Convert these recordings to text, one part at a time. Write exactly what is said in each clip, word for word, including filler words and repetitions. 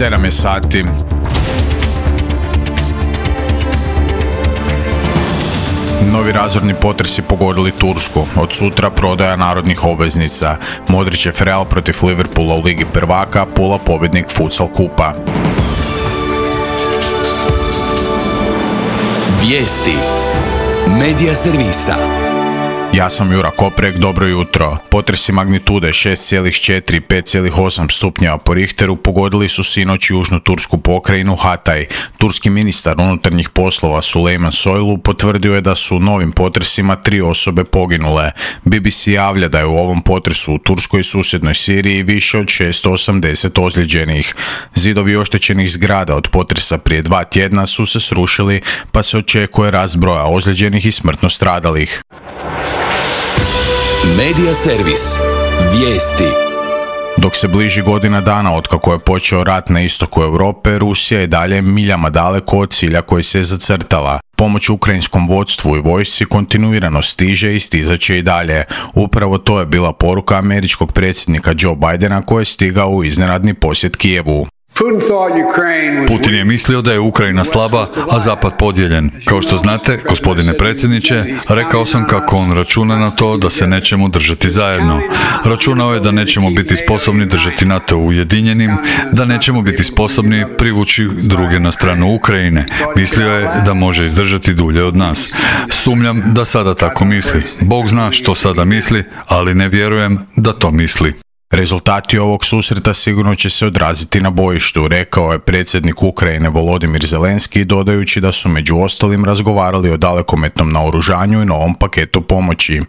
sedam je sati. Novi razorni potresi pogodili Tursku. Od sutra prodaja narodnih obveznica. Modrićev Real protiv Liverpoola u Ligi prvaka, Pula pobjednik Futsal kupa. Vijesti Medija servisa. Ja sam Jura Koprek, dobro jutro. Potresi magnitude šest zarez četiri i pet zarez osam stupnjeva po Richteru pogodili su sinoć južnu tursku pokrajinu Hatay. Turski ministar unutarnjih poslova Sulejman Soylu potvrdio je da su u novim potresima tri osobe poginule. B B C javlja da je u ovom potresu u Turskoj i susjednoj Siriji više od šesto osamdeset ozlijeđenih. Zidovi oštećenih zgrada od potresa prije dva tjedna su se srušili, pa se očekuje rast broja ozlijeđenih i smrtno stradalih. Medija servis. Vijesti. Dok se bliži godina dana otkako je počeo rat na istoku Europe, Rusija je dalje miljama daleko od cilja koji se je zacrtala. Pomoć ukrajinskom vodstvu i vojsci kontinuirano stiže i stizat će i dalje. Upravo to je bila poruka američkog predsjednika Joe Bidena koji je stigao u iznenadni posjet Kijevu. Putin je mislio da je Ukrajina slaba, a Zapad podijeljen. Kao što znate, gospodine predsjedniče, rekao sam kako on računa na to da se nećemo držati zajedno. Računao je da nećemo biti sposobni držati NATO ujedinjenim, da nećemo biti sposobni privući druge na stranu Ukrajine. Mislio je da može izdržati dulje od nas. Sumnjam da sada tako misli. Bog zna što sada misli, ali ne vjerujem da to misli. Rezultati ovog susreta sigurno će se odraziti na bojištu, rekao je predsjednik Ukrajine Volodimir Zelenski, dodajući da su među ostalim razgovarali o dalekometnom naoružanju i novom paketu pomoći.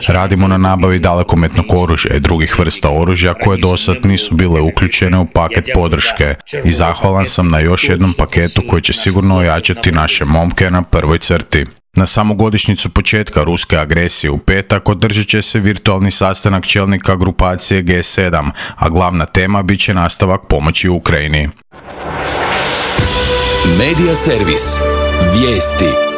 Radimo na nabavi dalekometnog oružja i drugih vrsta oružja koje dosad nisu bile uključene u paket podrške i zahvalan sam na još jednom paketu koji će sigurno ojačati naše momke na prvoj crti. Na samu godišnjicu početka ruske agresije u petak održat će se virtualni sastanak čelnika grupacije G sedam, a glavna tema bit će nastavak pomoći Ukrajini. Medija servis. Vijesti.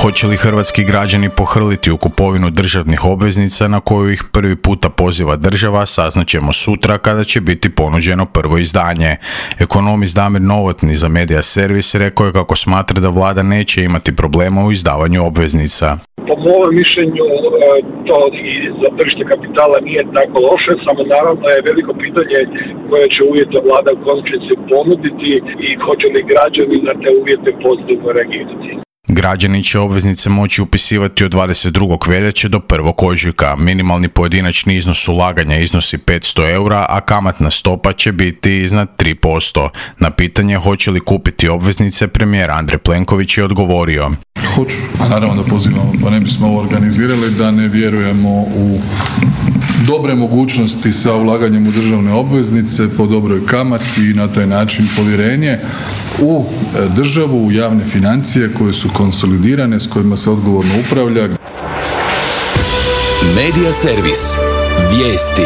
Hoće li hrvatski građani pohrliti u kupovinu državnih obveznica na koju ih prvi puta poziva država, saznaćemo sutra kada će biti ponuđeno prvo izdanje. Ekonomist Damir Novotny za Medija servis rekao je kako smatra da vlada neće imati problema u izdavanju obveznica. Po mojom mišljenju to i za tržište kapitala nije tako loše, samo naravno je veliko pitanje koje će uvjete vlada u konačnici ponuditi i hoće li građani na te uvjete pozitivno reagirati. Građani će obveznice moći upisivati od dvadeset drugog veljače do prvog ožujka. Minimalni pojedinačni iznos ulaganja iznosi petsto eura, a kamatna stopa će biti iznad tri posto. Na pitanje hoće li kupiti obveznice, premijer Andrej Plenković je odgovorio. Hoću, a naravno da pozivamo, pa ne bismo ovo organizirali da ne vjerujemo u dobre mogućnosti sa ulaganjem u državne obveznice po dobroj kamati i na taj način povjerenje u državu, u javne financije koje su konsolidirane, s kojima se odgovorno upravlja. Medija servis. Vijesti.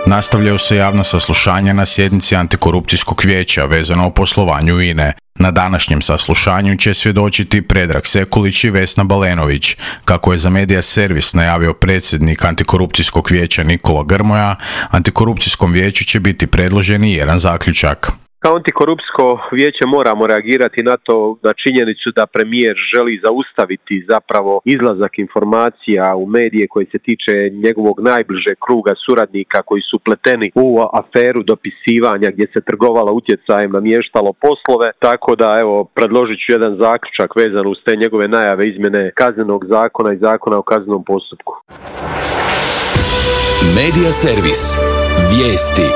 Nastavljaju se javna saslušanja na sjednici Antikorupcijskog vijeća vezano o poslovanju I N E. Na današnjem saslušanju će svjedočiti Predrag Sekulić i Vesna Balenović. Kako je za Medija servis najavio predsjednik Antikorupcijskog vijeća Nikola Grmoja, Antikorupcijskom vijeću će biti predložen i jedan zaključak. Kao Antikorupcijsko vijeće moramo reagirati na to, na činjenicu da premijer želi zaustaviti zapravo izlazak informacija u medije koji se tiče njegovog najbližeg kruga suradnika koji su pleteni u aferu dopisivanja gdje se trgovalo utjecajem, namještalo poslove, tako da evo predložit ću jedan zaključak vezan uz te njegove najave izmjene kaznenog zakona i zakona o kaznenom postupku. Medija servis. Vijesti.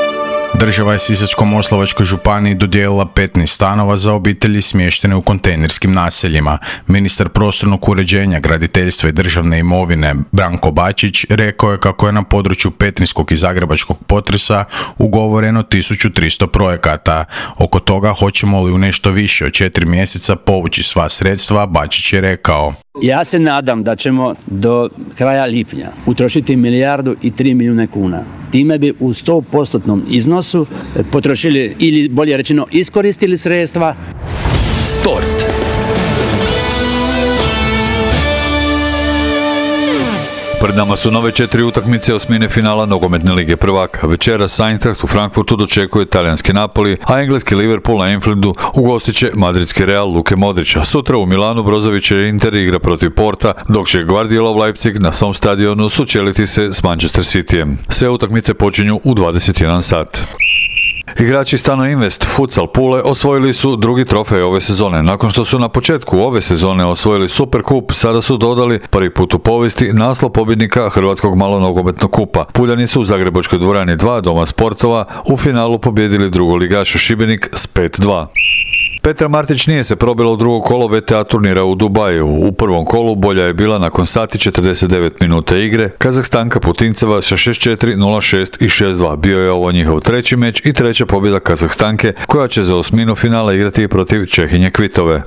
Država je Sisačko-moslavačkoj županiji dodijelila petnaest stanova za obitelji smještene u kontejnerskim naseljima. Ministar prostornog uređenja, graditeljstva i državne imovine Branko Bačić rekao je kako je na području petrinjskog i zagrebačkog potresa ugovoreno tisuću tristo projekata. Oko toga hoćemo li u nešto više od četiri mjeseca povući sva sredstva, Bačić je rekao. Ja se nadam da ćemo do kraja lipnja utrošiti milijardu i tri milijuna kuna. Time bi u sto postotnom iznosu potrošili ili bolje rečeno iskoristili sredstva. Sport. Pred nama su nove četiri utakmice osmine finala nogometne lige prvaka. Večeras Eintracht u Frankfurtu dočekuje talijanski Napoli, a engleski Liverpool na Anfieldu ugostit će madridski Real Luke Modrića. Sutra u Milanu Brozovićev Inter igra protiv Porta, dok će Guardiolov Leipzig na svom stadionu sučeliti se s Manchester Cityjem. Sve utakmice počinju u dvadeset jedan sat. Igrači Stano Invest Futsal Pule osvojili su drugi trofej ove sezone. Nakon što su na početku ove sezone osvojili Superkup, sada su dodali prvi put u povijesti naslov pobjednika Hrvatskog malonogometnog kupa. Puljani su u Zagrebačkoj dvorani dva Doma sportova u finalu pobijedili drugoligaša Šibenik s pet dva. Petra Martić nije se probila u drugo kolo V T A turnira u Dubaju. U prvom kolu bolja je bila nakon sati četrdeset devet minuta igre Kazahstanka Putinceva sa šest četiri, nula šest i šest dva. Bio je ovo njihov treći meč i treća pobjeda Kazahstanke, koja će za osminu finala igrati protiv Čehinje Kvitove.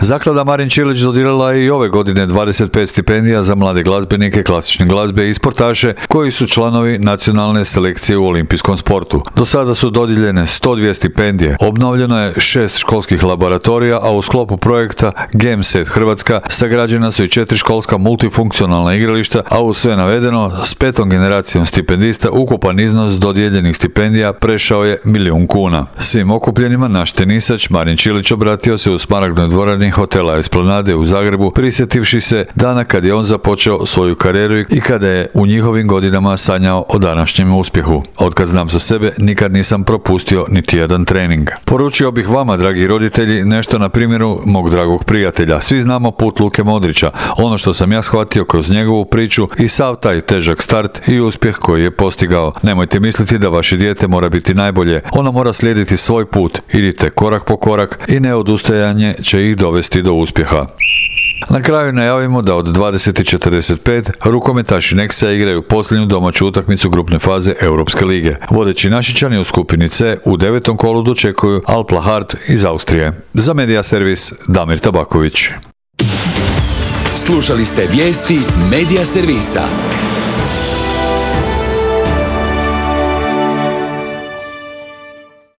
Zaklada Marin Čilić dodijelila je i ove godine dvadeset pet stipendija za mlade glazbenike klasične glazbe i sportaše koji su članovi nacionalne selekcije u olimpijskom sportu. Do sada su dodijeljene sto dvije stipendije. Obnovljeno je šest školskih laboratorija, a u sklopu projekta Game Set Hrvatska sagrađena su i četiri školska multifunkcionalna igrališta, a u sve navedeno s petom generacijom stipendista ukupan iznos dodijeljenih stipendija prešao je milijun kuna. Svim okupljenima naš tenisač Marin Čilić obratio se u Smaragdnoj dvorani hotela Esplanade u Zagrebu, prisjetivši se dana kad je on započeo svoju karijeru i kada je u njihovim godinama sanjao o današnjem uspjehu. Otkad znam za sebe, nikad nisam propustio niti jedan trening. Poručio bih vama, dragi roditelji, nešto na primjeru mog dragog prijatelja. Svi znamo put Luke Modrića, ono što sam ja shvatio kroz njegovu priču i sav taj težak start i uspjeh koji je postigao. Nemojte misliti da vaše dijete mora biti najbolje, ono mora slijediti svoj put. Idite korak po korak i neodustajanje će ih dovesti do uspjeha. Na kraju najavimo da od dvadeset četrdeset pet rukometaši Nexa igraju posljednju domaću utakmicu grupne faze Europske lige. Vodeći Našičani u skupini C u devetom kolu dočekuju Alp Lahart iz Austrije. Za Media Servis Damir Tabaković. Slušali ste vijesti Media Servisa.